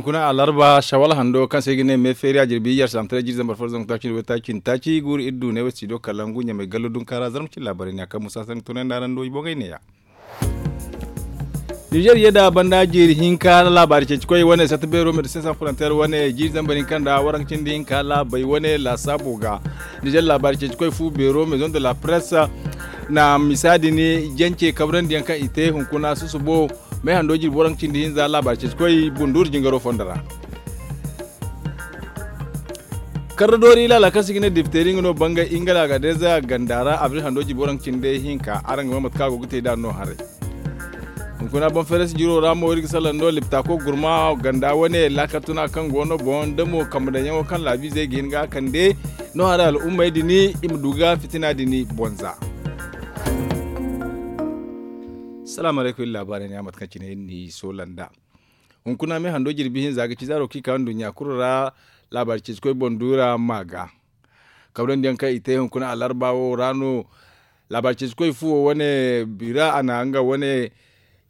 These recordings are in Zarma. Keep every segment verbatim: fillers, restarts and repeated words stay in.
Kuna alarba shawal hando kaŋ se i ga ne me feeri a jirbi iyar saamtaray jiri zambar fo zangu taaci nda waytaaci nda taaci guuru iri du ne way studio kalangu ɲamay gallo dunkaara zarma cine laabaray ne a kaŋ musa sanni tunay nda araŋ do i boŋey ne- ya. Nizer ye da banda jiiri hinka laabaari ceeci koy wane sata beero medecin sans frontier wane jiiri zambar hinka nda waranka cindi hinka laabay wane laasaabo ga. Nizer laabaari ceeci koy fu beero maison de la presse na misa din jance kabrandi yaŋ kaŋ i te hunkuna susubo. May hando jirbi waranka cindi hinza laabaari ceeci koy bunduuru jingaro fondo ra. Karra doori laala kaŋ se i ga ne dipteri nga no bangay ingala ga deza ganda ra abril hando jirbi waranka cindi hinka araŋ ga ma mate kaŋ a go ga te nd'a no haray. Hunkuna boŋ feres jiro ra mo iri ga salaŋ no liptako gurma ganda wane laakal tuna kaŋ go no boŋ da mo kambe daŋ yaŋo kaŋ laabiizey ga hin ga a kande no haray al'ummey din i ma du ga fitina din boŋ za. Salaamu alaykum iri laabaarey ne a mate kaŋ cine iri n'i soola nd'a. Hunkuna me hando jirbi hinza ga ci zaaro kaŋ i ka nduɲɲa kulu ra laabaari ceeci koy boŋ duura ma ga. Kabrandi yaŋ kaŋ i te hunkuna alarba wo ra no laabaari ceeci koy fuwo wane bira a na nga wane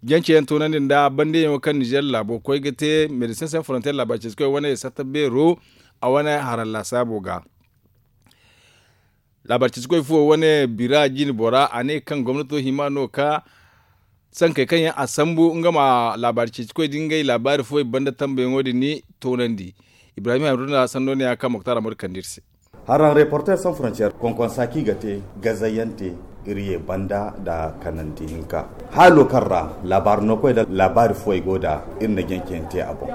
jance yaŋ toonandi nda bande yaŋo kaŋ nizer laabo koy ga te medecin sans frontier laabaari ceeci koy wane satta beero a wane haraŋ laasaabo ga. Laabaari ceeci koy fuwo wane bira jine bora a ne kaŋ gomnato hima no ka sankey kaŋ yaŋ a sambu nga ma laabaari ceeci koy da ngey laabaari fuwey banda tambayaŋo din ni toonandi. Ibrahim hamduna sanno ne ya kaŋ moktar amadu kande iri se. Haraŋ reporter sans frontier konkonsa kaŋ i ga te gazayante iri ye banda nda kanandi hinka haalo kaŋ ra laabaari no koy nda laabaari fuwey go nda iri na janceyaŋ te a boŋ.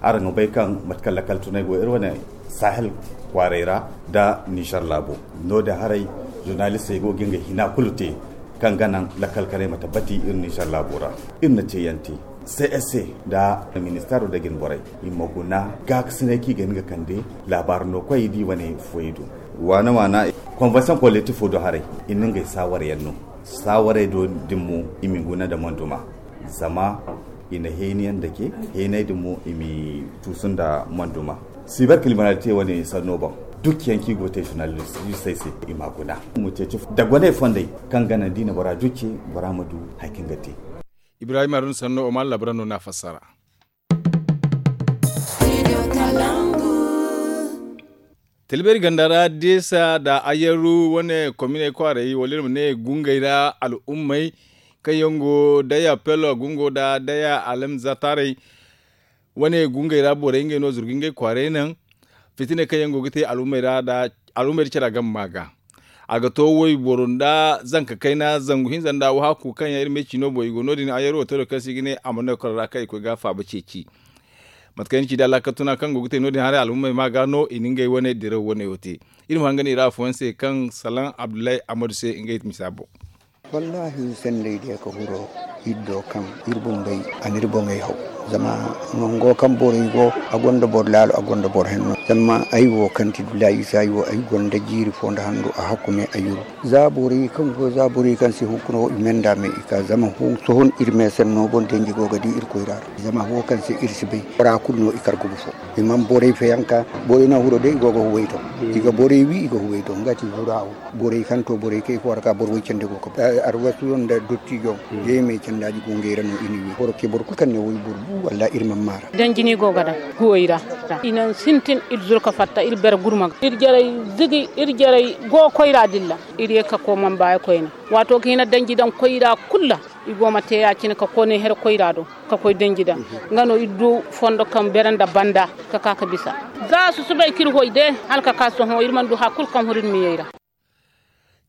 Araŋ ga bay kaŋ mate kaŋ lakkal tunay go iri wane sahel kwaaray ra nda nizer laabo. No- din haray zurnalistey go ga ngey hina kulu te kaŋ ga naŋ lakkal kanay ma tabbati iri nizer laabo ra. Iri na ceeyaŋ te c s c nda ministeero da jine borey i ma guna gaakasinay kaŋ i ga hin ga kande laabaari no koy i di wane fuwey do. Waana waana konvensiyoŋ kolektifo do haray i na ngey saawaryaŋ no. Saawarey do din mo i ma i guna nda manduma zama i na heenayaŋ dake heeney din mo i m'i tuusu nda manduma. Siber kiriminalite wane sanno boŋ dukkiyaŋ kaŋ i go ga te zurnalistey se i m'a guna. I ma ceeci dagoney fondey kaŋ ga naŋ da i na bora dukki bora ma du hari kaŋ ga te. Ibrahim haruna sanno oman labara no n'a fassara. Tilberi ganda ra deesa nda ayaru wane kominey kwaaray wala iri ma ne gungey ra al'ummey kaŋ yaŋ go daya pelo gungo nda daya alamzataarey wane gungey ra borey ngey no zurga ngey kwaaray naŋ fitiney kaŋ yaŋ go ga te al'ummey ra nda al'ummey da care a game ma ga. A ga to wayboro nda zanka kayna zangu hinza nda wahakku kaŋ yaŋ iri ma ay ciino boŋ i go no- din ayaru wo te do kaŋ se i ga ne a mana no karo ra kaŋ i koy ga faaba ceeci. Mate kaŋ ay na ci da laakal tuna kaŋ go ga te no- din haray al'ummey ma ga no i na ngey wane diraw wane wo te. Iri ma hangan i ra afooyaŋ se kaŋ salaŋ abdullahi amadu se ngey misa boŋ. Wallaahi sendey day ka huro iri do kaŋ iri bumbey a n'iri boŋey haw. Zama nango kaŋ borey go a gonda boro laalo a gonda boro henno zama ay wo kaŋ ti dulaayi isa ay wo ay gonda jiiri fo nda handu a hakku me a yuru. Za borey kaŋ go za borey kaŋ si hunkuna wo i me nda me i ka zama sohon iri me sanno boŋ danji go ga di iri koyra ra. Zama wo kaŋ se iri si bay bora kulu no i kar gubu fo. I man borey fayanka borey no huro day i go ga huway to. I ga borey wi i ga huway to nga ti hura wo. Borey kaŋ to borey kay fo warka boro way cende go ka arwasu yaŋ nda dottijo. Day me candaaji go ngey ra no i na wi boro ke boro kulu kaŋ ne way boro bu walla iri man maara. Danji ni go ga daŋ huway ra. I naŋ sintin iri zuru ka fatta iri bere gurma ga iri jarey zigi iri jarey go koyra dilla. Iri ye ka koy man baayi koyne waato ga hina danji daŋ koyra kulu ra. I go ma te ya- cine ka koy ne here koyra do ka koy danji daŋ. Nga no iri du fondo kaŋ bere nda banda ka ka ka bisa. Za susubay ka iri hoy de hala ka ka sohõ iri mana du hari kulu kaŋ huru iri miyey ra.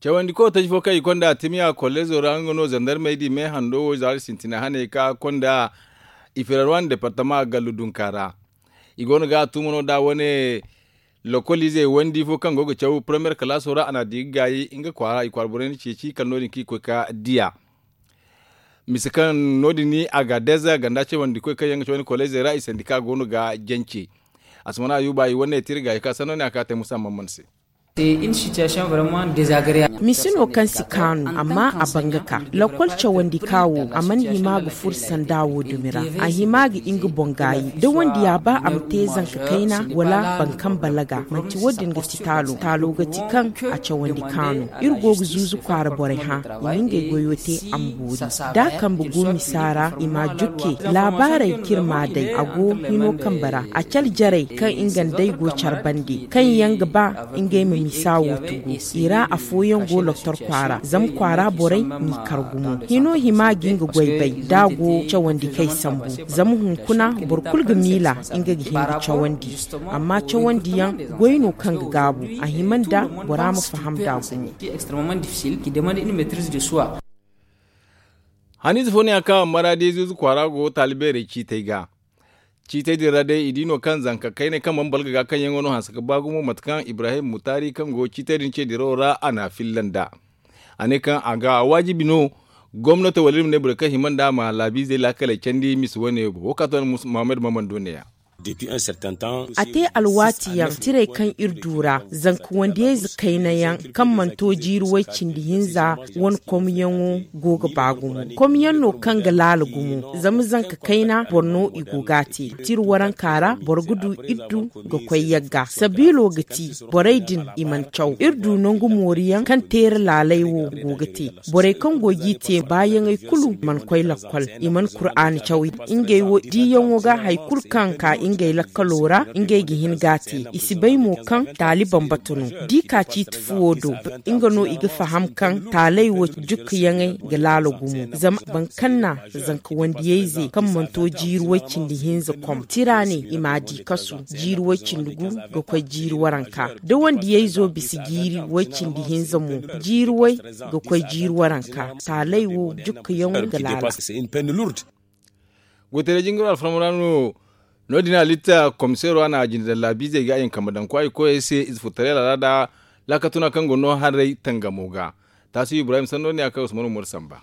Cawandi kootey fo kaŋ i konda timiya kollezo ra nga no zandarmey di me hando wo zaari sintina haney ka konda i firarwan departama gallu dunka ra. I go no ga a tumo no da wane lokolize wandi fo kaŋ go ga caw premiyer kalaaso ra a na di ga gaayi nga kwaara i kwaara borey na ceeci kala no- din kaŋ i koy ka diya. Mise kaŋ no- din ni a ga deza ganda cawandi koy kaŋ yaŋ ga cawandi kollezo ra i sandika go no ga jance. Asmana ayuba i wane tirga i ka sanno ne a ka te musa mamman se. Misi no kaŋ si kaanu amma a ban ga ka lakkol cawandi ka wo a mana hima ga furo sanda wo dumi ra. A hima ga nga boŋ gaayi da wondiya ba a ma te zanka kayna wala boro kaŋ balaga. Manti wo- din ga ti taalo taalo ga ti kaŋ a cawandi kaanu. Iri go ga zuuzu kwaara borey hã i ma ngey goyo te a ma boori. Da a kambe go misa ra i m'a jukke laabaarey kaŋ iri m'a day a go hino kambe ra a cale jarey kaŋ nga nd'ey go care bande kaŋ yaŋ ga ba ngey ma misa wo tugu. I ra afooyaŋ go loktor kwaara zama kwaara borey n'i kar gumo hino hima ga nga goy bay da a go cawandi kay sambu. Zama hunkuna boro kulu ga miila nga ga hin ga cawandi. Amma cawandiyaŋ goy no kaŋ ga gaabu a hima nda bora ma faham nd'a gumo. Haniize fo no ya kaŋ a maraadi zuuzu kwaara go taali beerey ciitey ga. Ciitey din ra day i di no kaŋ zanka kayney kaŋ mana balga ga kaŋ yaŋo no hanse ga ba gumo mate kaŋ ibrahim mutaari kaŋ go ciitey din ce dirawo ra a n'a filla nd'a. A ne kaŋ a ga a waajibi no gomnato wala iri ma ne borey kaŋ hima nd'a ma laabiizey laakaley candi misa wane wo ka to na muhammad maman do neeya. A te alwaati yaŋ tirey kaŋ iri du ra zanka wandiyayze kayna yaŋ kaŋ mana to jiiri way-cindi hinza wane komyaŋo go ga ba gumo. Komyaŋ no kaŋ ga laala gumo zama zanka kayna boro no i go ga a te. Tira waranka ra boro ga du iddu ga koy yagga sabiilo ga ti borey din i mana caw iri du nangu mooriyaŋ kaŋ teera laaley wo go ga te. Borey kaŋ go g'i te baayaŋey kulu mana koy lakkol i mana kuraana caw. Ngey wo diiyaŋo ga hari kulu kaŋ ka ngey lakkalo ra ngey ga hin ga a te i si bay mo kaŋ taali bambata no. D'i ka ciiti fuwo do nga no i ga faham kaŋ taaley wo jukkayaŋey ga laala gumo. Zama boro kaŋ na zanka wandiyayze kaŋ mana to jiiri way-cindi hinza kom tira ne i m'a di kasu jiiri way-cindi gu ga koy jiiri waranka da wandiyayzo bisa jiiri way-cindi hinza mo jiiri way ga koy jiiri waranka taaley wo jukkayaŋo ga laala. Goytaray jingiro alfarma ra no. No- din a litta komiseero a na a jinde daŋ laabiizey ga a yaŋ kambe daŋ kwaay koyey se ize furtaray laala nda laakatuna kaŋ go no haray tangamo ga. Taasu ibrahim sanno ne a kay usman umaru samba.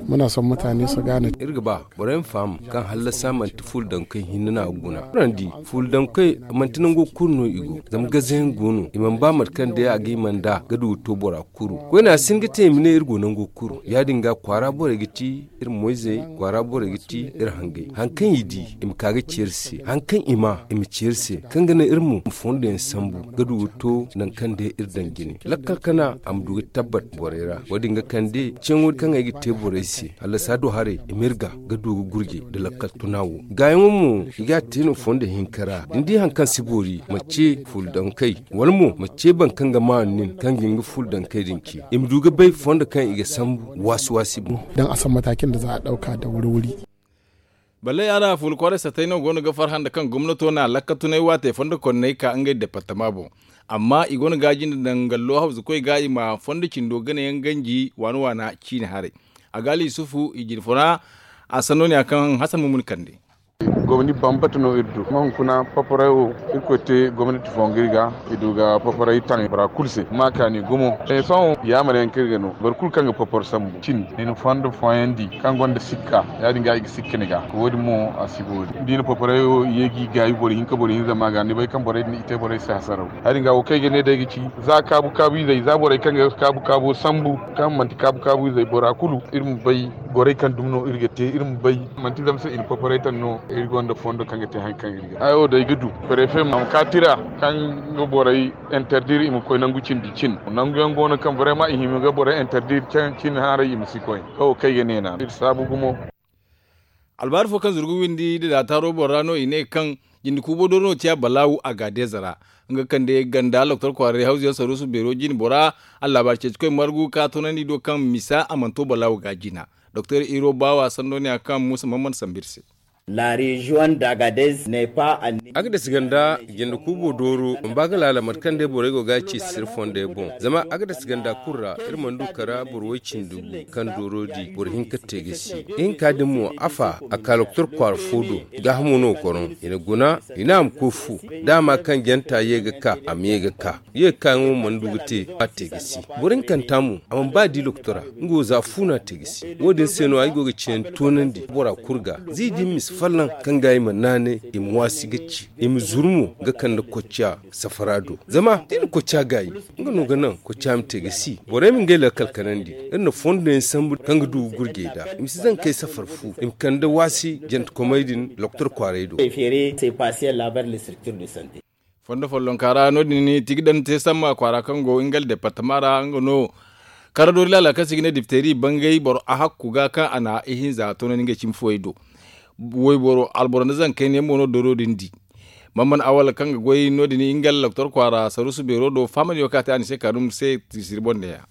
Muna son mutane su gane iri ga ba borey ma faham kaŋ hallasa manti fuula daŋ koy hinne no a ga guna. Furandi fuula daŋ koy manti nango kulu no i go zama gaze yaŋ go no i mana ba mate kaŋ day a ga i mana da ga du ga to bora kuru. Koyne a si hin ga te i ma ne iri go nango kuru ya- din ga kwaara borey ga ti iri moyzey kwaara borey ga ti iri hangey hari kaŋ i di i ma ka ga ci iri se hari kaŋ i ma i ma ci iri se kaŋ ga naŋ iri mo ma fondo yaŋ sambu ga du ga to naŋ kaŋ day iri daŋ jine lakkal kana a ma du ga tabbat borey ra. Wo- din ga kande ceeyaŋo kaŋ ay ga te borey se hallasa do haray i ma iri ga ga du ga gurje nda lakkal tuna wo gaayaŋo mo i ga a te no fondo hinka ra da ni di hari kaŋ si boori ma ce fuula daŋ kay wala mo ma ce boro kaŋ ga maanu nin kaŋ ga hin ga fuula daŋ kay din ce i ma du ga bay fondo kaŋ i ga sambu waasi waasi boŋ. Daŋ a san matakin da za a ɗauka da wuri-wuri. Balle yaara fuula kwaaray satay no go no ga farhã nda kaŋ gomnato na lakkatunay waatey fondo konney ka ngey departama boŋ. Amma i go no ga a jinde daŋ gallo hawzukoy ga i ma fondo cindo ganayaŋ ganji waana waana ciine haray. A ga ali yusufu i jine fo ra. A sanno ne a kaŋ hasan mumuni kande. Gomni bambata no iri du ma hunkuna paparay wo irkoy te gomnati fo nga iri ga i du ga paparay taŋ bora kulu se ma kaani gumo. Sohõ yaamar yaŋ kaŋ iri ga no boro kulu kaŋ ga papar sambu cin i na fondo fooyaŋ di kaŋ gonda sikka ya- din ga i ga sikka ni ga wo- din mo a si boori da i na paparay wo ye ga i gaayi boro hinka boro hinza ma ga ni bay kaŋ borey din i te borey se hasaraw. Ya- din ga wo kaŋ ay ga ne day ga ci za kaabu kaabu izey za borey kaŋ ga kaabu kaabo sambu kaŋ manti kaabu kaabu izey bora kulu iri ma bay. Gorey kaŋ dumi no iri ga te iri ma bay manti zama se i na kokoray taŋ no iri gonda fondo kaŋ ga te hari kaŋ iri ga ay wo day ga du. Prefe ma ka tira kaŋ ga borey interdir i ma koy nangu cindi cin nangu yaŋ go no kaŋ brema i hima ga borey interdir cin haray i ma si koy. Kawo kaŋ ay ga ne naana iri saabu gumo. Albaari fo kaŋ zurgu windi nda daataaro boŋ ra no i ne kaŋ jinde kuubo dooro no ciya balaawu a ga deeza ra. Nga kaŋ day ganda loktor kwaaray hawzu yaŋ saruusu beero jine bora. Allaabaari ceecikoy margu ka toonandi do kaŋ misa a mana to balaawu ga jina. Doktor iro baawa sanno ne a kaŋ muusa mamman sambu iri se. Agades ganda jinde kuubo dooro mba ga laala mate kaŋ day borey go ga a ci sirri fondey boŋ zama agades ganda kulu ra iri mana du kara boro way-cindi gu kaŋ dooro di boro hinka te ga si. Ihinka din mo afa a ka loktor kwaara fo do. Gaahamo no goro i na guna i ne a ma koy fu. Da a ma kaŋ janta ye ga ka a ma ye ga ka ye ga ka yaŋo mana du ga te a te ga si. Boro hinkanta mo a mana ba di loktora nga wo za fu no a te ga si. Wo- din se no ay go ga ciyaŋ toonandi bora kulu ga za i di ma si Fallan kaŋ ga i ma naanay, i ma waasi ga ci, i ma zuru mo ga kande kocciya safara do. Zama da i na kocciya gaayi, nga no ga naŋ kocciya ma te ga si. Borey ma ngey lakkal kanandi, iri na fondo yaŋ sambu kaŋ ga du ga gurjey da i ma si zankey safar fu, i ma kande waasi jantekomey din doktor kwaaray do. Fondo follonka ra no- din tigi daŋ te samma kwaara kaŋ go nga departama ra nga no. Karadoori laala kaŋ se i ga ne dipteri bangay boro a hakku ga kaŋ a na ihinza toonandi ngey cimi fooyey do. Wayboro alboro nda zankayniyaŋ mo no dooro din di. Mamman awal kaŋ ga goy no- din nga doktor kwaara saruusu beero do fahamandi wo kaŋ a te a ni se karum se tiisiri boŋ neeya.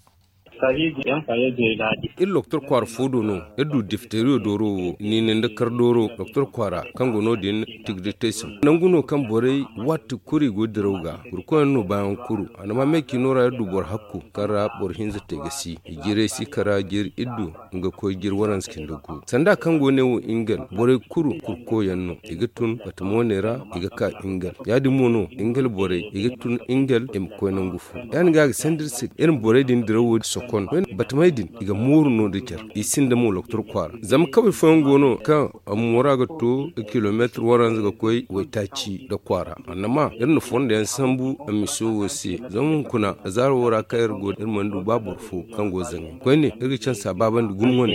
Iri doktor kwaara fo do no iri du difteriyo dooro wo niine nda kar dooro doktor kwaara kaŋ go no- din. Tigritayson nangu no kaŋ borey waati kulu i go diraw ga. Burkoyaŋ no baayaŋ kuru a na ma me ciino ra iri du boro hakku kaŋ ra boro hinza te ga si i jiray si kara jiri iri du. Nga koy jiri waranza cindi gu sanda kaŋ go ne wo ingel borey kuru kurkoyaŋ no i ga tun batamo ne ra. I ga ka ingel ya- din mo no ingel borey i ga tun ingel i ma koy nangu fo ya- din ga a ga sanda iri se iri ma borey din dirawo sokon. Batamey din i ga mooru no- din care i sinda mo loktor kwaara zama kawey fooyaŋ go no kaŋ a moora ga to kilomeetir waranza ga koy waytaaci nda kwaara. Annama iri na fondo yaŋ sambu a miso wo se zama hunkuna zaaro wo ra kaŋ iri go iri mana du ba boro fo kaŋ go zaŋay koyne iri ga cansa baabandi gumo wane.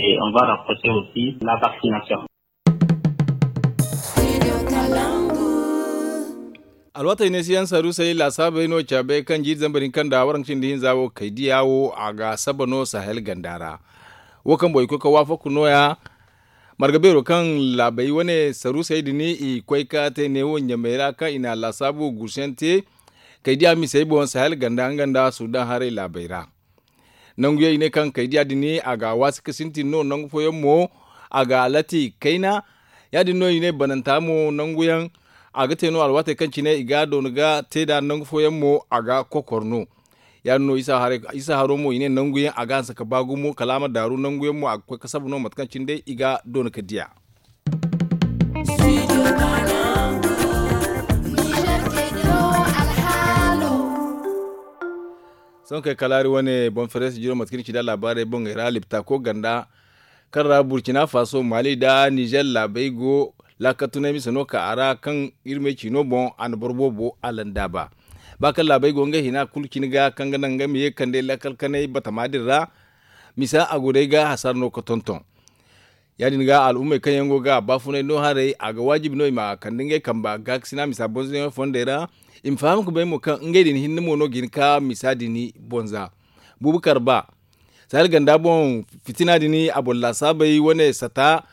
Alwaatey ne si yaŋ saruusey laasaabey no caabey kaŋ jiiri zambar hinka nda waranka cindi hinza wo kay diya wo a ga saba no sahel ganda ra. Wo kaŋ boŋ i koy ka waafaku nooya. Marga beero kaŋ laabey wane saruusey din i koy ka te neewo ɲamey ra kaŋ i na laasaabu guusuyaŋ te. Kay diya misey boŋ sahel ganda nga nda sudan haray laabey ra. Nanguyaŋ i ne kaŋ kay diya din a ga a waasi ka sintin no nangu fooyaŋ mo a ga a lati kayna. Ya- din no i ne bananta mo nanguyaŋ a ga te no alwaatey kaŋ cine i ga a doona ga te nd'a nangu fooyaŋ mo a ga kokor no. Ya- din no isa haro mo i ne nanguyaŋ a ga hanse ka ba gumo kala a ma daaru nanguyaŋ mo a ga koy ka saba no mate kaŋ cine day i ga doona ka diya. Sohõ kay kalaari wane boŋ fereesi jiro mate kaŋ iri ci nd'a laabaarey boŋey ra liptaako ganda kaŋ ra burcina faso maali nda nizer laabey go. Laakal tunay mise no ka a ra kaŋ iri ma ay ciino boŋ a na boro boobo a landaaba. Ba kaŋ laabey go ngey hina kulu cine ga kaŋ ga naŋ ngey ma ye ga kande laakal kanay batama din ra. Misa a go day ga hasara no ga tonton. Ya- din ga al'ummey kaŋ yaŋ go ga baafunay no haray a ga waajibi no i ma kande ngey kamba gaakasina misa bonzoyaŋ fondey ra. I ma faham ga bay mo kaŋ ngey din hinne mo no ga hin ka misa din bonza. Buubu karba sahel ganda boŋ fitina din a boŋ laasaabey wane sata.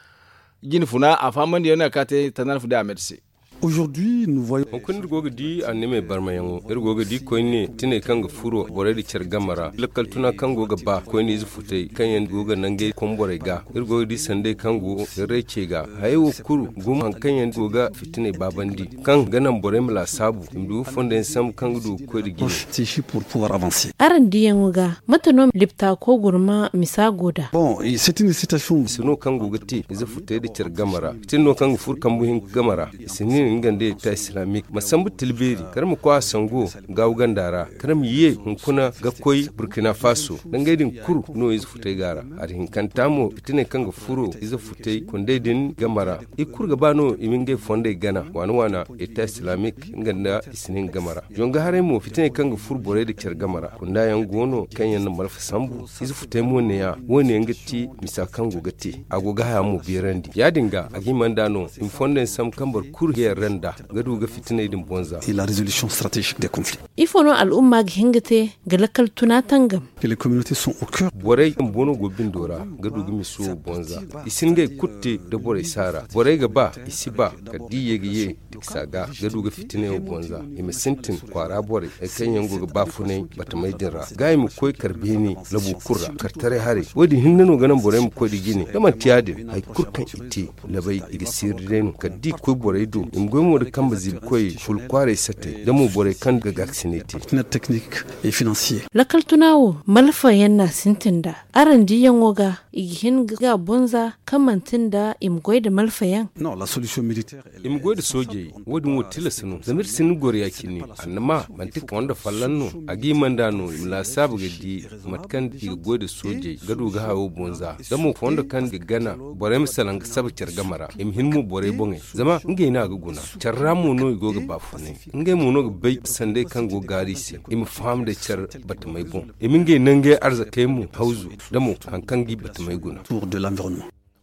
Jine funa a fahamandiyaŋ no a ga ka te tandan fu day a me da se. Hunkuna iri go ga di annamey barmayaŋo iri go ga di koyne tiney kaŋ ga furo borey da care game ra lakkal tuna kaŋ go ga ba koyne ize futey kaŋ yaŋ go ga nangey komborey ga. Iri go ga di sanday kaŋ go ga raycey ga hayey wo kulu gumo hari kaŋ yaŋ go ga fitiney baabandi kaŋ ga naŋ borey ma laasaabu i ma du ga fondo yaŋ sambu kaŋ ga du ga koy nda jine. Araŋ diyaŋo ga mate no liptaako gurma misa go nd'a? Bon, c'est une incitation. Misa no kaŋ go ga te ize futey nda care game ra fitina no kaŋ ga furo kambu hinka game ra. I si nin nga nda eta islamique ma sambu tilbeeri kala ma koy a sango gaawu ganda ra kala ma ye hunkuna ga koy burkina faso nda ngey din kulu no ize futey ga ra. Hari hinkanta mo fitiney kaŋ ga furo ize futey kondey din game ra. I kulu ga ba no i ma ngey fondey gana waana waana eta islamique nga nda i si nin game ra. Zonga haray mo fitiney kaŋ ga furo borey nda care game ra kunda yaŋ go no kaŋ yaŋ na malfa sambu. Ize futey mo neeya wo- ne yaŋ ga ti misa kaŋ go ga te a go ga haya mo beerandi ya- din ga a ga hima nd'a no i ma fondo yaŋ sambu kaŋ boro kulu ga yarra nd'a ga du ga fitiney din bonza. Ifo no al'umma ga hin ga te ga lakkal tuna tangam? Borey kaŋ boono go bindo ra ga du ga miso bonza. I si ngey kulu te nda borey saara borey ga ba i si ba kala da i ye ga ye da i si a ga ga du ga fitiney wo bonza. I ma sintin kwaara borey hari kaŋ yaŋ go ga baafunay batamey din ra ga i ma koy kar beene labu kulu ra kartaray haray wo- din hinne no ga naŋ borey ma koy nda jine da manti ya- din hari kulu kaŋ i te labay i ga seeri day no kala da i koy borey do i ma Goy mo da kambe ziibikoy kulu kwaaray sattey da mo borey kaŋ ga gaakasinay te. Lakal tuna wo malfayaŋ no a sintin nd'a. Araŋ diyaŋo ga i ga hin ga bonza kaŋ manti nda i ma goy nda malfayaŋ. I ma goy nda soojey. Wo- din wo tilas no zama iri sinda goro ya- cine. Annama manti fondo folloŋ no. A ga i manda no i ma laasaabu ga di mate kaŋ i ga goy nda soojey ga du ga hayo bonza da mo fondo kaŋ ga gana. Borey ma salaŋ ga saba care game ra i ma hin mo borey boŋey zama ngey no a ga guna. Care ra mo no i go ga baafunay. Ngey mo no ga bay sanday kaŋ go ga gaari i se. I ma faham day care batamey boŋ. I ma ngey nangey arzakey mo hawzu da mo hari kaŋ ga i batamey guna.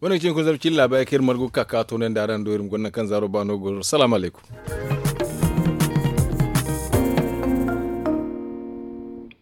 Wane ga cine koy zabu cilla bay kaŋ iri margu ga ka ka toonandi araŋ do iri ma gonda nangu kaŋ zaaro ba no ga goro salaamu alaykum.